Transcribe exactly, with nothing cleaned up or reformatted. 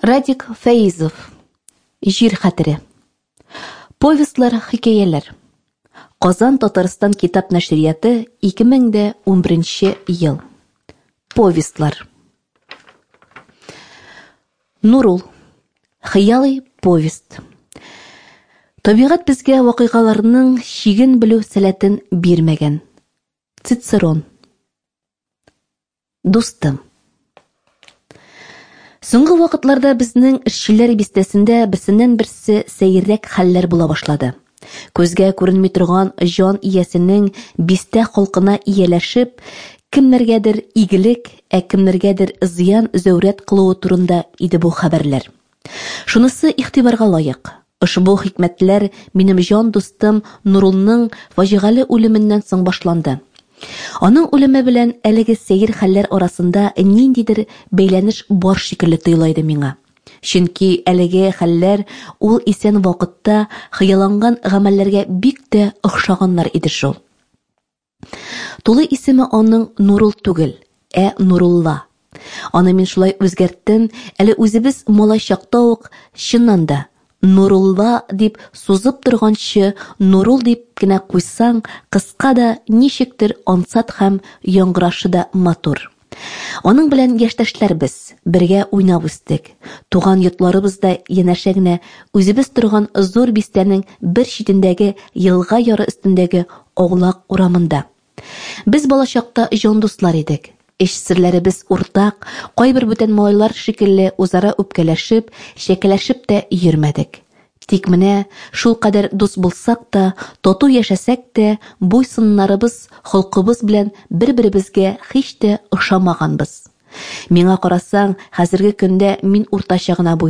Радик Фәизов. Җир хәтере. Повестьлар, хикәяләр. Казан Татарстан китап нәшрияты, ике мең дә унберенче ел. Повестьлар. Нурул. Хыялый повесть. Табигать безгә вакыйгаларның чиген белү сәләтен бирмәгән. Цицерон. Дустым. Соңгы вакытларда безнең эшчеләр бистәсендә берсеннән-берсе сәеррәк хәлләр була башлады. Күзгә күренми торган җан иясенең бистә халкына ияләшеп, кемнәргәдер игелек, ә кемнәргәдер зыян-зәүрәт кылуы турында иде бу хәбәрләр. Шунысы игътибарга лаек: ошбу хикмәтләр минем җан дустым Нурулның фаҗигале үлеменнән соң башланды. Аның үлеме белән әлеге сәер хәлләр арасында ниндидер бәйләнеш бар шикелле тоела иде миңа. Чөнки әлеге хәлләр ул исән вакытта хыялланган гамәлләргә бик тә охшаганнар иде шул. Тулы исеме аның Нурул түгел, ә Нурулла. Аны мин шулай үзгәрттем, әле үзебез малай чакта ук, чыннан да, Нурулла дип сузып торганчы, Нурул дип кенә куйсаң, кыска да, ничектер ансат һәм яңгырашы да матур. Аның белән яшьтәшләр без, бергә уйнап үстек. Туган йортларыбыз да янәшә генә, үзебез торган зур бистәнең бер читендәге елга яры өстендәге аулак урамында. Без балачакта җан дуслар идек. Эч серләребез уртак, кайбер бүтән малайлар шикелле үзара үпкәләшеп, чәкәләшеп тә йөрмәдек. Тик менә шулкадәр дус булсак та, тату яшәсәк тә, буй-сыннарыбыз, холкыбыз белән бер-беребезгә һич тә охшамаганбыз. Миңа карасаң, хәзерге көндә мин уртача гына буйлы.